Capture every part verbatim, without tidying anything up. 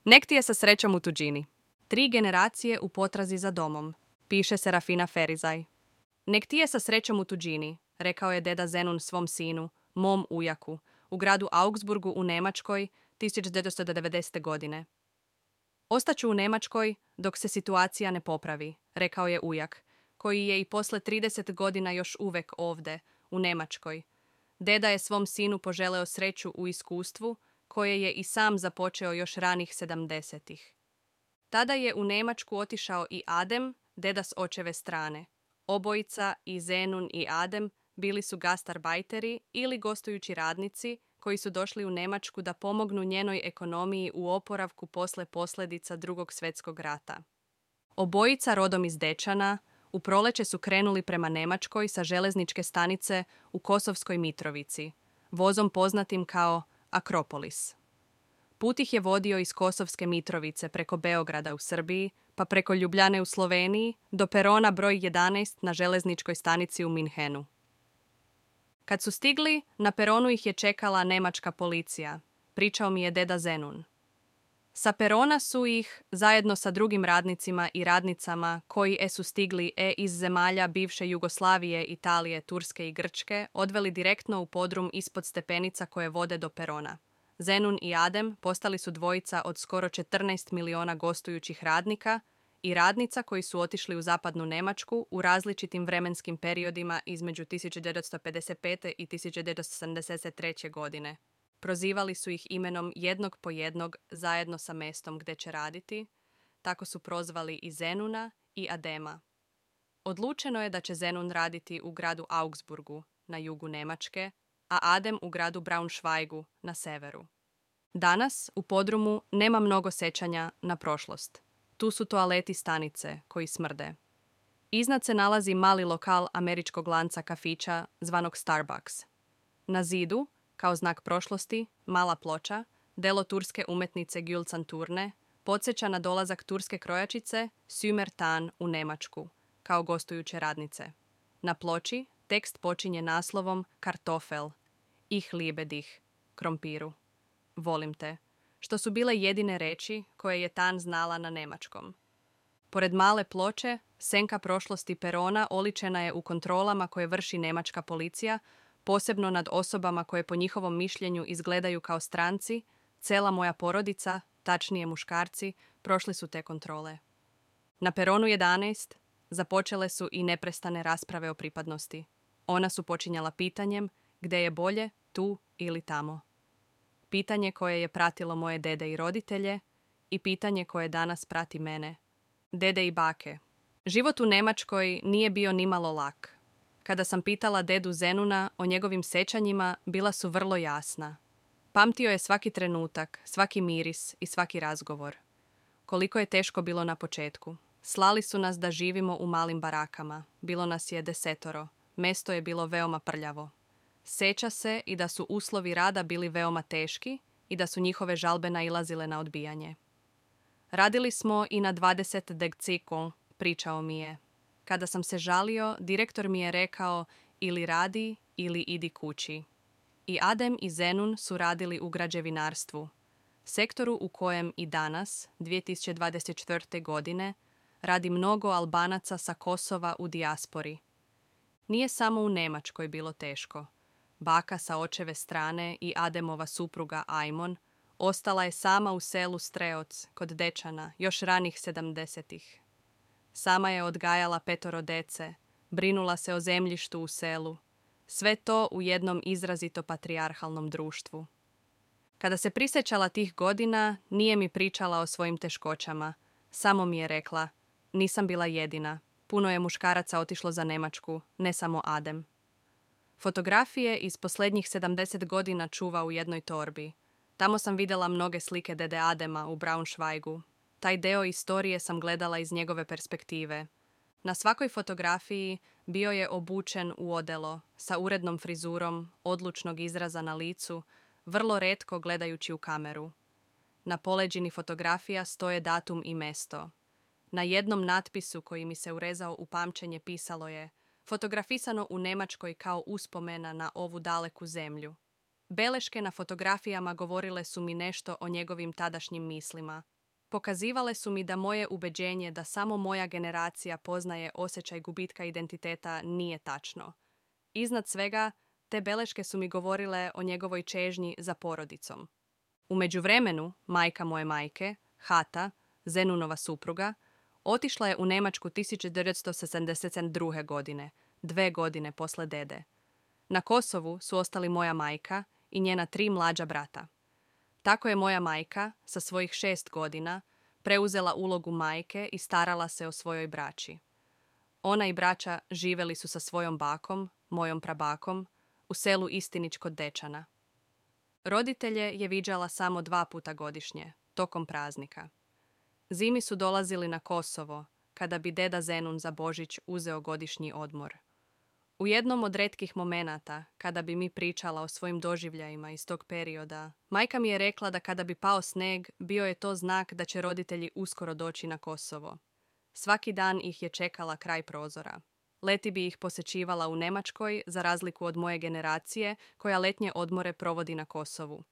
Nek ti je sa srećom u tuđini. Tri generacije u potrazi za domom, piše Serafina Ferizaj. Nek ti je sa srećom u tuđini, rekao je deda Zenun svom sinu, mom ujaku, u gradu Augsburgu u Njemačkoj tisuću devetsto devedesete. godine. Ostaću u Njemačkoj dok se situacija ne popravi, rekao je ujak, koji je i posle trideset godina još uvek ovde, u Njemačkoj. Deda je svom sinu poželeo sreću u iskustvu, koje je i sam započeo još ranih sedamdesetih. Tada je u Njemačku otišao i Adem, deda s očeve strane. Obojica, i Zenun i Adem, bili su gastarbajteri ili gostujući radnici koji su došli u Njemačku da pomognu njenoj ekonomiji u oporavku posle posljedica Drugog svjetskog rata. Obojica rodom iz Dečana, u proleće su krenuli prema Njemačkoj sa železničke stanice u Kosovskoj Mitrovici, vozom poznatim kao Akropolis. Put ih je vodio iz Kosovske Mitrovice preko Beograda u Srbiji, pa preko Ljubljane u Sloveniji do perona broj jedanaest na železničkoj stanici u Minhenu. Kad su stigli, na peronu ih je čekala nemačka policija, pričao mi je deda Zenun. Sa perona su ih, zajedno sa drugim radnicima i radnicama koji e su stigli e iz zemalja bivše Jugoslavije, Italije, Turske i Grčke, odveli direktno u podrum ispod stepenica koje vode do perona. Zenun i Adem postali su dvojica od skoro četrnaest miliona gostujućih radnika i radnica koji su otišli u zapadnu Njemačku u različitim vremenskim periodima između tisuću devetsto pedeset pete. i tisuću devetsto sedamdeset treće. godine. Prozivali su ih imenom jednog po jednog zajedno sa mestom gde će raditi, tako su prozvali i Zenuna i Adema. Odlučeno je da će Zenun raditi u gradu Augsburgu, na jugu Njemačke, a Adem u gradu Braunschweigu, na severu. Danas, u podrumu, nema mnogo sećanja na prošlost. Tu su toaleti stanice, koji smrde. Iznad se nalazi mali lokal američkog lanca kafića, zvanog Starbucks. Na zidu, kao znak prošlosti, mala ploča, delo turske umetnice Gülcan Turne, podsjeća na dolazak turske krojačice Sümer Tan u Njemačku, kao gostujuće radnice. Na ploči tekst počinje naslovom Kartofel, Ich liebe dich, krompiru. Volim te, što su bile jedine reči koje je Tan znala na nemačkom. Pored male ploče, senka prošlosti perona oličena je u kontrolama koje vrši nemačka policija, posebno nad osobama koje po njihovom mišljenju izgledaju kao stranci. Cela moja porodica, tačnije muškarci, prošli su te kontrole. Na peronu jedanaest započele su i neprestane rasprave o pripadnosti. Ona su počinjala pitanjem gde je bolje, tu ili tamo. Pitanje koje je pratilo moje dede i roditelje i pitanje koje danas prati mene. Dede i bake. Život u Njemačkoj nije bio nimalo lak. Kada sam pitala dedu Zenuna o njegovim sećanjima, bila su vrlo jasna. Pamtio je svaki trenutak, svaki miris i svaki razgovor. Koliko je teško bilo na početku. Slali su nas da živimo u malim barakama. Bilo nas je desetoro. Mesto je bilo veoma prljavo. Seća se i da su uslovi rada bili veoma teški i da su njihove žalbe nailazile na odbijanje. Radili smo i na dvadeset degcikon, pričao mi je. Kada sam se žalio, direktor mi je rekao ili radi ili idi kući. I Adem i Zenun su radili u građevinarstvu, sektoru u kojem i danas, dvije tisuće dvadeset četvrte. godine, radi mnogo Albanaca sa Kosova u dijaspori. Nije samo u Njemačkoj bilo teško. Baka sa očeve strane i Ademova supruga Ajmon ostala je sama u selu Streoc kod Dečana još ranih sedamdesetih. Sama je odgajala petoro dece, brinula se o zemljištu u selu. Sve to u jednom izrazito patrijarhalnom društvu. Kada se prisjećala tih godina, nije mi pričala o svojim teškoćama. Samo mi je rekla, nisam bila jedina. Puno je muškaraca otišlo za Njemačku, ne samo Adem. Fotografije iz posljednjih sedamdeset godina čuva u jednoj torbi. Tamo sam vidjela mnoge slike dede Adema u Braunschweigu. Taj deo istorije sam gledala iz njegove perspektive. Na svakoj fotografiji bio je obučen u odelo, sa urednom frizurom, odlučnog izraza na licu, vrlo retko gledajući u kameru. Na poleđini fotografija stoje datum i mesto. Na jednom natpisu koji mi se urezao u pamćenje pisalo je fotografisano u Njemačkoj kao uspomena na ovu daleku zemlju. Beleške na fotografijama govorile su mi nešto o njegovim tadašnjim mislima. Pokazivale su mi da moje ubeđenje da samo moja generacija poznaje osjećaj gubitka identiteta nije tačno. Iznad svega, te beleške su mi govorile o njegovoj čežnji za porodicom. U međuvremenu, majka moje majke, Hata, Zenunova supruga, otišla je u Njemačku tisuću devetsto sedamdeset druge. godine, dve godine posle dede. Na Kosovu su ostali moja majka i njena tri mlađa brata. Tako je moja majka, sa svojih šest godina, preuzela ulogu majke i starala se o svojoj braći. Ona i braća živjeli su sa svojom bakom, mojom prabakom, u selu Istinić kod Dečana. Roditelje je viđala samo dva puta godišnje, tokom praznika. Zimi su dolazili na Kosovo, kada bi deda Zenun za Božić uzeo godišnji odmor. U jednom od retkih momenata, kada bi mi pričala o svojim doživljajima iz tog perioda, majka mi je rekla da kada bi pao sneg, bio je to znak da će roditelji uskoro doći na Kosovo. Svaki dan ih je čekala kraj prozora. Leti bi ih posećivala u Njemačkoj, za razliku od moje generacije, koja letnje odmore provodi na Kosovu.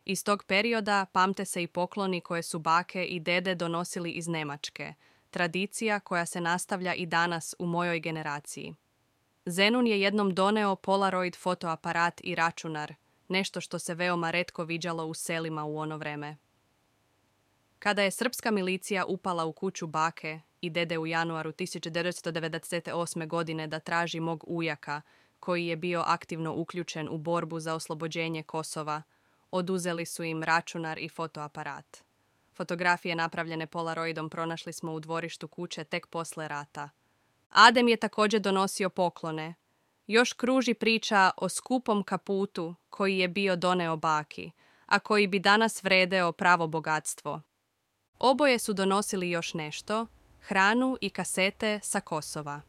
Iz tog perioda pamte se i pokloni koje su bake i dede donosili iz Njemačke, tradicija koja se nastavlja i danas u mojoj generaciji. Zenun je jednom doneo Polaroid fotoaparat i računar, nešto što se veoma retko viđalo u selima u ono vreme. Kada je srpska milicija upala u kuću bake i dede u januaru tisuću devetsto devedeset osme. godine da traži mog ujaka, koji je bio aktivno uključen u borbu za oslobođenje Kosova, oduzeli su im računar i fotoaparat. Fotografije napravljene Polaroidom pronašli smo u dvorištu kuće tek posle rata. Adem je također donosio poklone. Još kruži priča o skupom kaputu koji je bio doneo baki, a koji bi danas vredeo pravo bogatstvo. Oboje su donosili još nešto, hranu i kasete sa Kosova.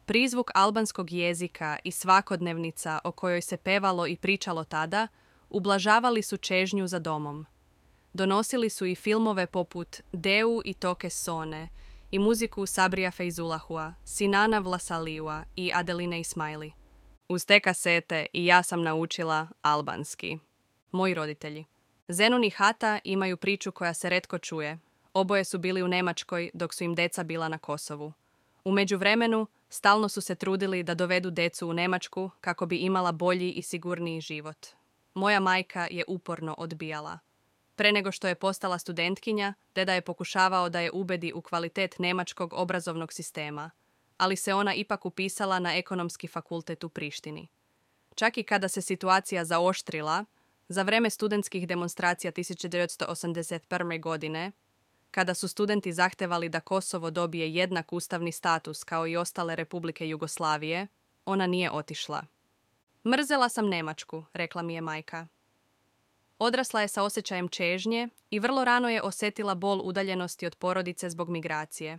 Prizvuk albanskog jezika i svakodnevnica o kojoj se pevalo i pričalo tada, ublažavali su čežnju za domom. Donosili su i filmove poput Deu i Toke Sone i muziku Sabrija Fejzulahua, Sinana Vlasaliua i Adeline Ismaili. Uz te kasete i ja sam naučila albanski. Moji roditelji. Zenun i Hata imaju priču koja se retko čuje. Oboje su bili u Njemačkoj dok su im deca bila na Kosovu. U međuvremenu, stalno su se trudili da dovedu decu u Njemačku kako bi imala bolji i sigurniji život. Moja majka je uporno odbijala. Pre nego što je postala studentkinja, deda je pokušavao da je ubedi u kvalitet nemačkog obrazovnog sistema, ali se ona ipak upisala na ekonomski fakultet u Prištini. Čak i kada se situacija zaoštrila, za vreme studentskih demonstracija tisuću devetsto osamdeset prve. godine, kada su studenti zahtevali da Kosovo dobije jednak ustavni status kao i ostale republike Jugoslavije, ona nije otišla. Mrzela sam Njemačku, rekla mi je majka. Odrasla je sa osjećajem čežnje i vrlo rano je osjetila bol udaljenosti od porodice zbog migracije.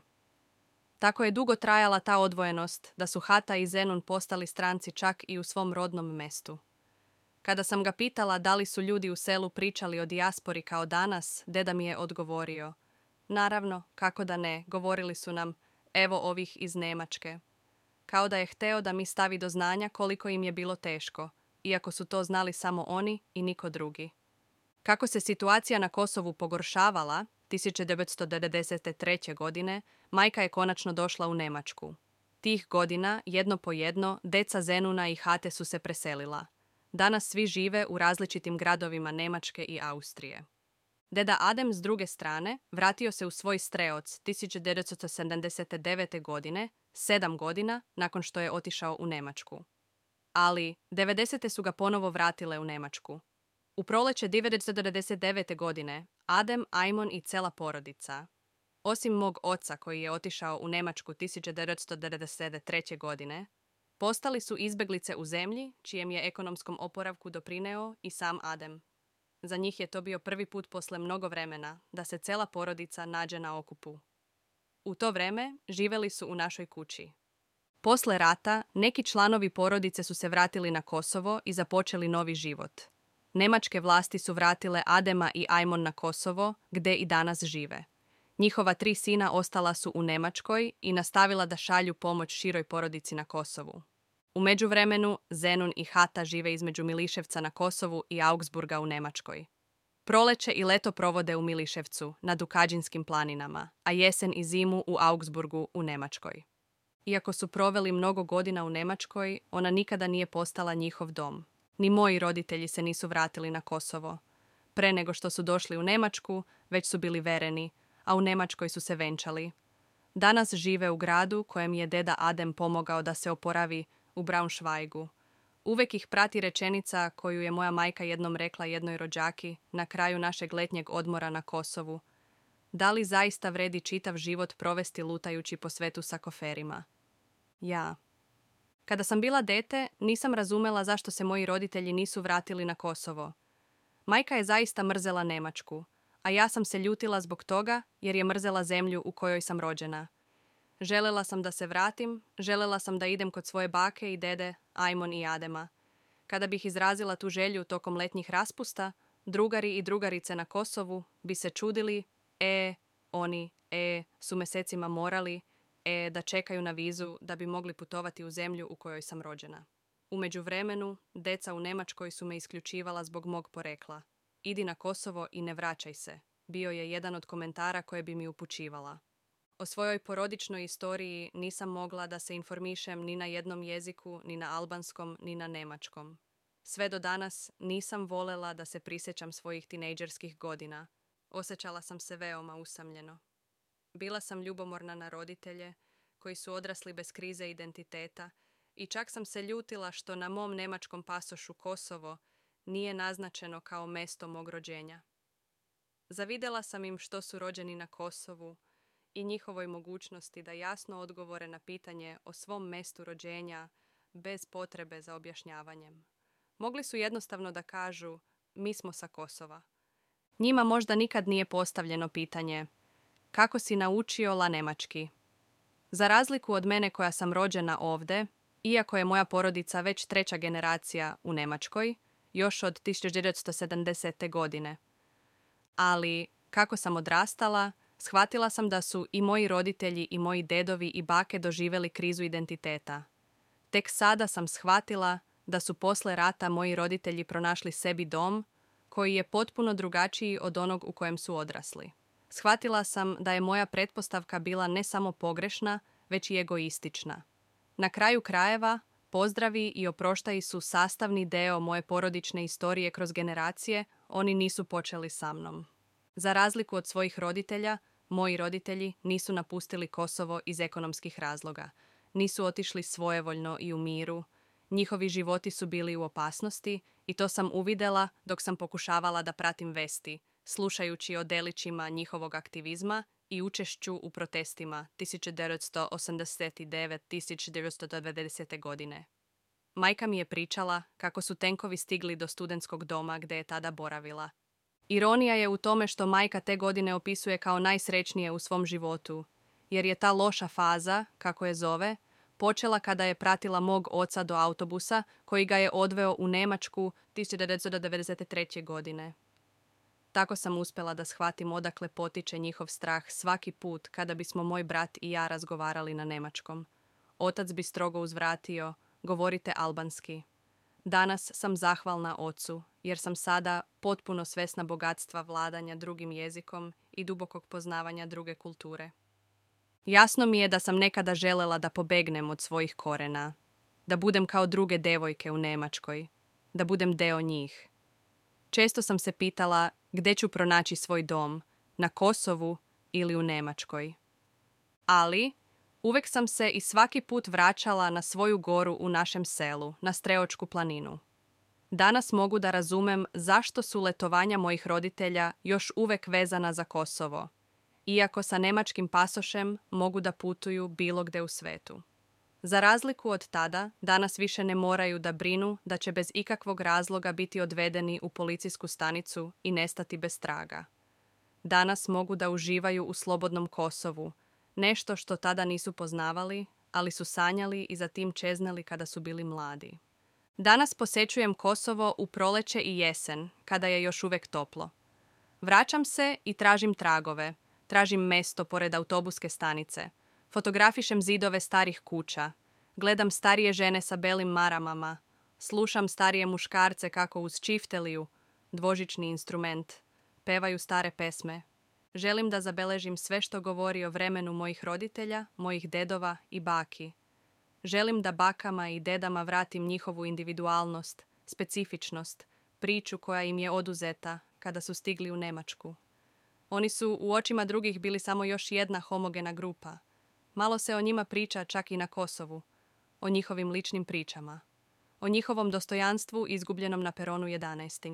Tako je dugo trajala ta odvojenost da su Hata i Zenun postali stranci čak i u svom rodnom mestu. Kada sam ga pitala da li su ljudi u selu pričali o dijaspori kao danas, deda mi je odgovorio: naravno, kako da ne, govorili su nam, evo ovih iz Njemačke. Kao da je hteo da mi stavi do znanja koliko im je bilo teško, iako su to znali samo oni i niko drugi. Kako se situacija na Kosovu pogoršavala, tisuću devetsto devedeset treće. godine, majka je konačno došla u Njemačku. Tih godina, jedno po jedno, deca Zenuna i Hate su se preselila. Danas svi žive u različitim gradovima Njemačke i Austrije. Deda Adem, s druge strane, vratio se u svoj Streoc tisuću devetsto sedamdeset devete. godine, sedam godina nakon što je otišao u Njemačku. Ali, devedesete su ga ponovo vratile u Njemačku. U proleće tisuću devetsto devedeset devete. godine, Adem, Ajmon i cela porodica, osim mog oca koji je otišao u Njemačku tisuću devetsto devedeset treće. godine, postali su izbeglice u zemlji, čijem je ekonomskom oporavku doprineo i sam Adem. Za njih je to bio prvi put posle mnogo vremena da se cela porodica nađe na okupu. U to vreme živeli su u našoj kući. Posle rata, neki članovi porodice su se vratili na Kosovo i započeli novi život. Nemačke vlasti su vratile Adema i Ajmon na Kosovo, gde i danas žive. Njihova tri sina ostala su u Njemačkoj i nastavila da šalju pomoć široj porodici na Kosovu. U međuvremenu, Zenun i Hata žive između Miliševca na Kosovu i Augsburga u Njemačkoj. Proleće i leto provode u Miliševcu, na Dukađinskim planinama, a jesen i zimu u Augsburgu u Njemačkoj. Iako su proveli mnogo godina u Njemačkoj, ona nikada nije postala njihov dom. Ni moji roditelji se nisu vratili na Kosovo. Pre nego što su došli u Njemačku, već su bili vereni, a u Njemačkoj su se venčali. Danas žive u gradu kojem je deda Adem pomogao da se oporavi, u Braunschweigu. Uvek ih prati rečenica koju je moja majka jednom rekla jednoj rođaki na kraju našeg letnjeg odmora na Kosovu. Da li zaista vredi čitav život provesti lutajući po svetu sa koferima? Ja. Kada sam bila dete, nisam razumela zašto se moji roditelji nisu vratili na Kosovo. Majka je zaista mrzela Njemačku, a ja sam se ljutila zbog toga jer je mrzela zemlju u kojoj sam rođena. Želela sam da se vratim, želela sam da idem kod svoje bake i dede, Ajmon i Adema. Kada bih izrazila tu želju tokom letnjih raspusta, drugari i drugarice na Kosovu bi se čudili, e, oni, e, su mesecima morali, e, da čekaju na vizu da bi mogli putovati u zemlju u kojoj sam rođena. U međuvremenu, deca u Njemačkoj su me isključivala zbog mog porekla. Idi na Kosovo i ne vraćaj se, bio je jedan od komentara koje bi mi upućivala. O svojoj porodičnoj istoriji nisam mogla da se informišem ni na jednom jeziku, ni na albanskom, ni na nemačkom. Sve do danas nisam volela da se prisjećam svojih tinejdžerskih godina. Osjećala sam se veoma usamljeno. Bila sam ljubomorna na roditelje, koji su odrasli bez krize identiteta, i čak sam se ljutila što na mom nemačkom pasošu Kosovo nije naznačeno kao mesto mog rođenja. Zavidela sam im što su rođeni na Kosovu i njihovoj mogućnosti da jasno odgovore na pitanje o svom mestu rođenja bez potrebe za objašnjavanjem. Mogli su jednostavno da kažu, mi smo sa Kosova. Njima možda nikad nije postavljeno pitanje, kako si naučio la nemački? Za razliku od mene koja sam rođena ovde, iako je moja porodica već treća generacija u Njemačkoj, još od tisuću devetsto sedamdesete. godine. Ali, kako sam odrastala, shvatila sam da su i moji roditelji i moji dedovi i bake doživjeli krizu identiteta. Tek sada sam shvatila da su posle rata moji roditelji pronašli sebi dom koji je potpuno drugačiji od onog u kojem su odrasli. Shvatila sam da je moja pretpostavka bila ne samo pogrešna, već i egoistična. Na kraju krajeva, pozdravi i oproštaji su sastavni deo moje porodične istorije kroz generacije, oni nisu počeli sa mnom. Za razliku od svojih roditelja, moji roditelji nisu napustili Kosovo iz ekonomskih razloga. Nisu otišli svojevoljno i u miru. Njihovi životi su bili u opasnosti i to sam uvidela dok sam pokušavala da pratim vesti, slušajući o delićima njihovog aktivizma i učešću u protestima tisuću devetsto osamdeset devet do tisuću devetsto dvadesete. godine. Majka mi je pričala kako su tenkovi stigli do studentskog doma gde je tada boravila. Ironija je u tome što majka te godine opisuje kao najsrećnije u svom životu, jer je ta loša faza, kako je zove, počela kada je pratila mog oca do autobusa koji ga je odveo u Njemačku tisuću devetsto devedeset treće. godine. Tako sam uspjela da shvatim odakle potiče njihov strah svaki put kada bismo moj brat i ja razgovarali na nemačkom. Otac bi strogo uzvratio, govorite albanski. Danas sam zahvalna ocu, jer sam sada potpuno svesna bogatstva vladanja drugim jezikom i dubokog poznavanja druge kulture. Jasno mi je da sam nekada želela da pobegnem od svojih korena, da budem kao druge devojke u Njemačkoj, da budem deo njih. Često sam se pitala gde ću pronaći svoj dom, na Kosovu ili u Njemačkoj. Ali uvek sam se i svaki put vraćala na svoju goru u našem selu, na Streočku planinu. Danas mogu da razumem zašto su letovanja mojih roditelja još uvek vezana za Kosovo, iako sa nemačkim pasošem mogu da putuju bilo gde u svetu. Za razliku od tada, danas više ne moraju da brinu da će bez ikakvog razloga biti odvedeni u policijsku stanicu i nestati bez traga. Danas mogu da uživaju u slobodnom Kosovu, nešto što tada nisu poznavali, ali su sanjali i za tim čeznali kada su bili mladi. Danas posećujem Kosovo u proleće i jesen, kada je još uvek toplo. Vraćam se i tražim tragove, tražim mesto pored autobuske stanice, fotografišem zidove starih kuća, Gledam starije žene sa belim maramama. Slušam starije muškarce kako uz čifteliju, dvožični instrument, pevaju stare pesme. Želim da zabeležim sve što govori o vremenu mojih roditelja, mojih dedova i baki. Želim da bakama i dedama vratim njihovu individualnost, specifičnost, priču koja im je oduzeta kada su stigli u Njemačku. Oni su u očima drugih bili samo još jedna homogena grupa. Malo se o njima priča čak i na Kosovu, o njihovim ličnim pričama, o njihovom dostojanstvu izgubljenom na peronu jedanaest.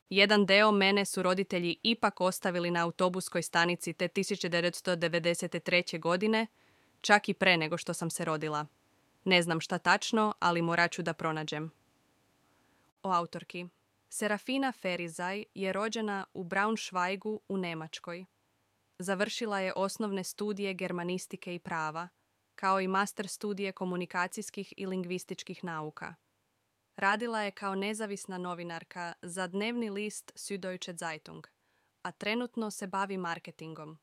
Jedan deo mene su roditelji ipak ostavili na autobuskoj stanici te tisuće devetsto devedeset treće. godine, čak i pre nego što sam se rodila. Ne znam šta tačno, ali morat ću da pronađem. O autorki. Serafina Ferizaj je rođena u Braunschweigu u Njemačkoj. Završila je osnovne studije germanistike i prava, kao i master studije komunikacijskih i lingvističkih nauka. Radila je kao nezavisna novinarka za dnevni list Süddeutsche Zeitung, a trenutno se bavi marketingom.